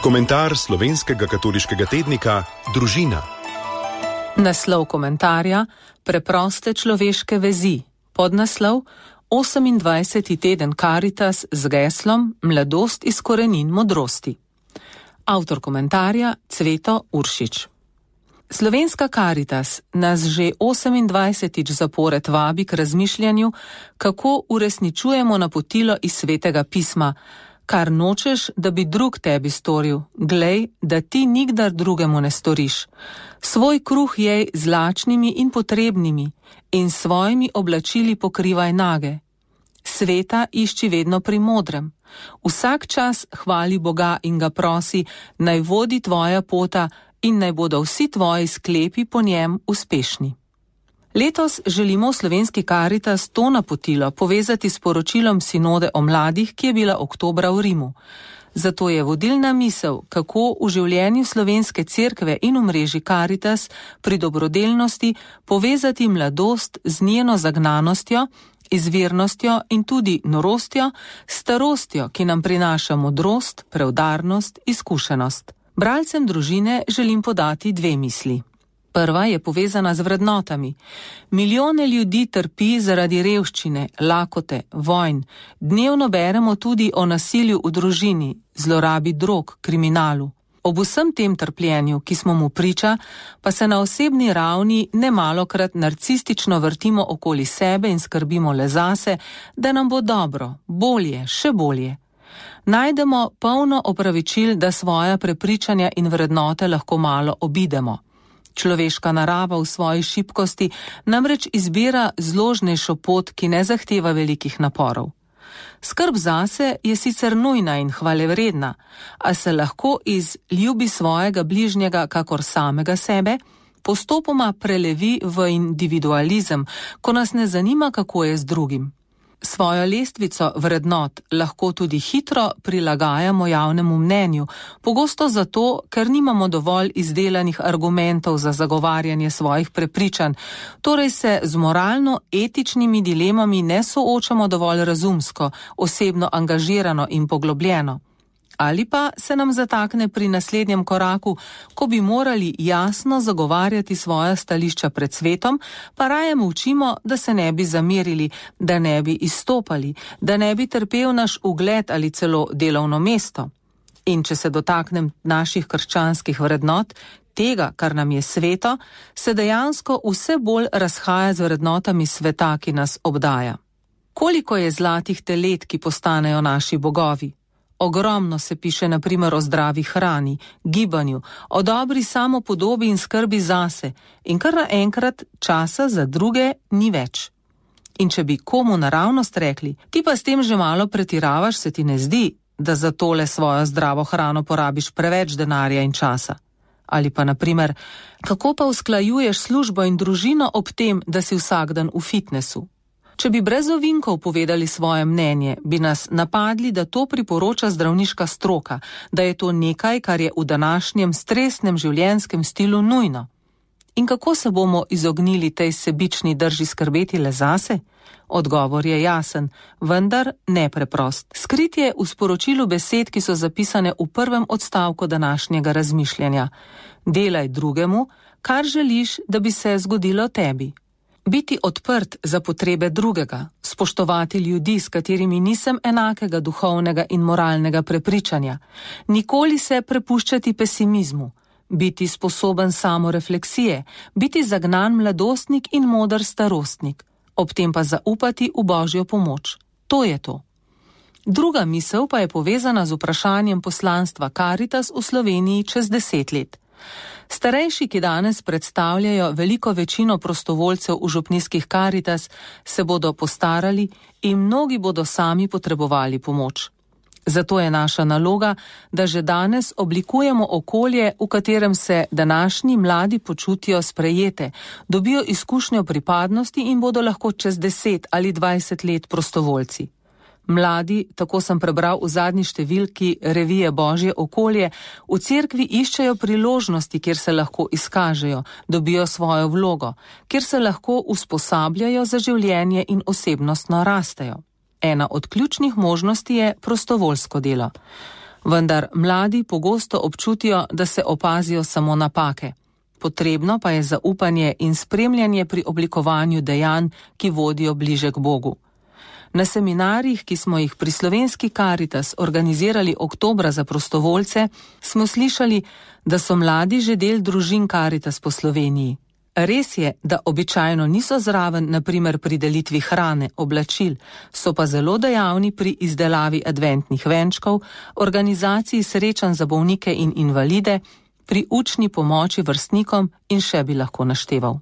Komentar slovenskega katoliškega tednika Družina. Naslov komentarja: Preproste človeške vezi. Podnaslov: 28. teden Karitas z geslom Mladost iz korenin modrosti. Avtor komentarja: Cveto Uršič. Slovenska Karitas nas že 28. zapored vabi k razmišljanju, kako uresničujemo napotilo iz Svetega pisma: kar nočeš, da bi drug tebi storil, glej, da ti nikdar drugemu ne storiš. Svoj kruh jej z lačnimi in potrebnimi in svojimi oblačili pokrivaj nage. Sveta išči vedno pri modrem. Vsak čas hvali Boga in ga prosi, naj vodi tvoja pota in naj bodo vsi tvoji sklepi po njem uspešni. Letos želimo v Slovenski Karitas to napotilo povezati s poročilom sinode o mladih, ki je bila oktobra v Rimu. Zato je vodilna misel, kako v življenju Slovenske cerkve in v mreži Karitas pri dobrodelnosti povezati mladost z njeno zagnanostjo, izvirnostjo in tudi norostjo, starostjo, ki nam prinaša modrost, preudarnost, izkušenost. Bralcem Družine želim podati dve misli. Prva je povezana z vrednotami. Milijone ljudi trpi zaradi revščine, lakote, vojn. Dnevno beremo tudi o nasilju v družini, zlorabi drog, kriminalu. Ob vsem tem trpljenju, ki smo mu priča, pa se na osebni ravni nemalokrat narcistično vrtimo okoli sebe in skrbimo le zase, da nam bo dobro, bolje, še bolje. Najdemo polno opravičil, da svoja prepričanja in vrednote lahko malo obidemo. Človeška narava v svoji šibkosti namreč izbira zložnejšo pot, ki ne zahteva velikih naporov. Skrb zase je sicer nujna in hvalevredna, a se lahko iz ljubi svojega bližnjega kakor samega sebe postopoma prelevi v individualizem, ko nas ne zanima, kako je z drugim. Svojo lestvico vrednot lahko tudi hitro prilagajamo javnemu mnenju, pogosto zato, ker nimamo dovolj izdelanih argumentov za zagovarjanje svojih prepričanj, torej se z moralno-etičnimi dilemami ne soočamo dovolj razumsko, osebno angažirano in poglobljeno. Ali pa se nam zatakne pri naslednjem koraku, ko bi morali jasno zagovarjati svoja stališča pred svetom, pa raje molčimo, da se ne bi zamerili, da ne bi izstopali, da ne bi trpel naš ugled ali celo delovno mesto. In če se dotaknem naših krščanskih vrednot, tega, kar nam je sveto, se dejansko vse bolj razhaja z vrednotami sveta, ki nas obdaja. Koliko je zlatih telet, ki postanejo naši bogovi? Ogromno se piše na primer o zdravi hrani, gibanju, o dobri samopodobi in skrbi zase, in kar naenkrat časa za druge ni več. In če bi komu naravnost rekli, ti pa s tem že malo pretiravaš, se ti ne zdi, da za tole svojo zdravo hrano porabiš preveč denarja in časa. Ali pa na primer, kako pa usklajuješ službo in družino ob tem, da si vsak dan v fitnesu? Če bi brez ovinkov povedali svoje mnenje, bi nas napadli, da to priporoča zdravniška stroka, da je to nekaj, kar je v današnjem stresnem življenjskem stilu nujno. In kako se bomo izognili tej sebični drži skrbeti le zase? Odgovor je jasen, vendar nepreprost. Skrit je v sporočilu besed, ki so zapisane v prvem odstavku današnjega razmišljanja. Delaj drugemu, kar želiš, da bi se zgodilo tebi. Biti odprt za potrebe drugega, spoštovati ljudi, s katerimi nisem enakega duhovnega in moralnega prepričanja, nikoli se prepuščati pesimizmu, biti sposoben samorefleksije, biti zagnan mladostnik in moder starostnik, ob tem pa zaupati v Božjo pomoč. To je to. Druga misel pa je povezana z vprašanjem poslanstva Karitas v Sloveniji čez 10 let. Starejši, ki danes predstavljajo veliko večino prostovoljcev v župnijskih Karitas, se bodo postarali in mnogi bodo sami potrebovali pomoč. Zato je naša naloga, da že danes oblikujemo okolje, v katerem se današnji mladi počutijo sprejete, dobijo izkušnjo pripadnosti in bodo lahko čez 10 ali 20 let prostovoljci. Mladi, tako sem prebral v zadnji številki revije Božje okolje, v cerkvi iščejo priložnosti, kjer se lahko izkažejo, dobijo svojo vlogo, kjer se lahko usposabljajo za življenje in osebnostno rastejo. Ena od ključnih možnosti je prostovoljsko delo. Vendar mladi pogosto občutijo, da se opazijo samo napake. Potrebno pa je zaupanje in spremljanje pri oblikovanju dejanj, ki vodijo bliže k Bogu. Na seminarjih, ki smo jih pri Slovenski Karitas organizirali oktobra za prostovoljce, smo slišali, da so mladi že del družin Karitas po Sloveniji. Res je, da običajno niso zraven, na primer pri delitvi hrane, oblačil, so pa zelo dejavni pri izdelavi adventnih venčkov, organizaciji srečanj za bolnike in invalide, pri učni pomoči vrstnikom in še bi lahko našteval.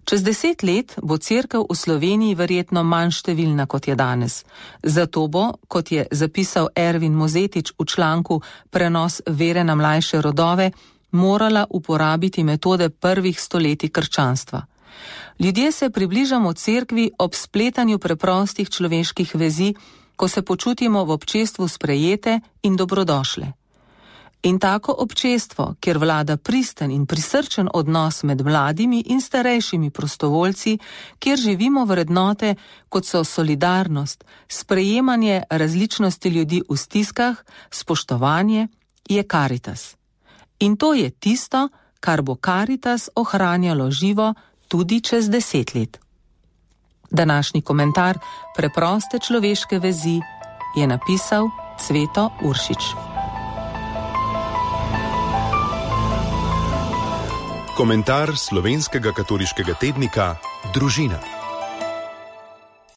Čez 10 let bo cerkev v Sloveniji verjetno manj številna, kot je danes. Zato bo, kot je zapisal Ervin Mozetič v članku Prenos vere na mlajše rodove, morala uporabiti metode prvih stoletij krščanstva. Ljudje se približamo cerkvi ob spletanju preprostih človeških vezi, ko se počutimo v občestvu sprejete in dobrodošle. In tako občestvo, kjer vlada pristen in prisrčen odnos med mladimi in starejšimi prostovoljci, kjer živimo vrednote, kot so solidarnost, sprejemanje različnosti ljudi v stiskah, spoštovanje, je Karitas. In to je tisto, kar bo Karitas ohranjalo živo tudi čez 10 let. Današnji komentar Preproste človeške vezi je napisal Cveto Uršič. Komentar slovenskega katoliškega tednika Družina.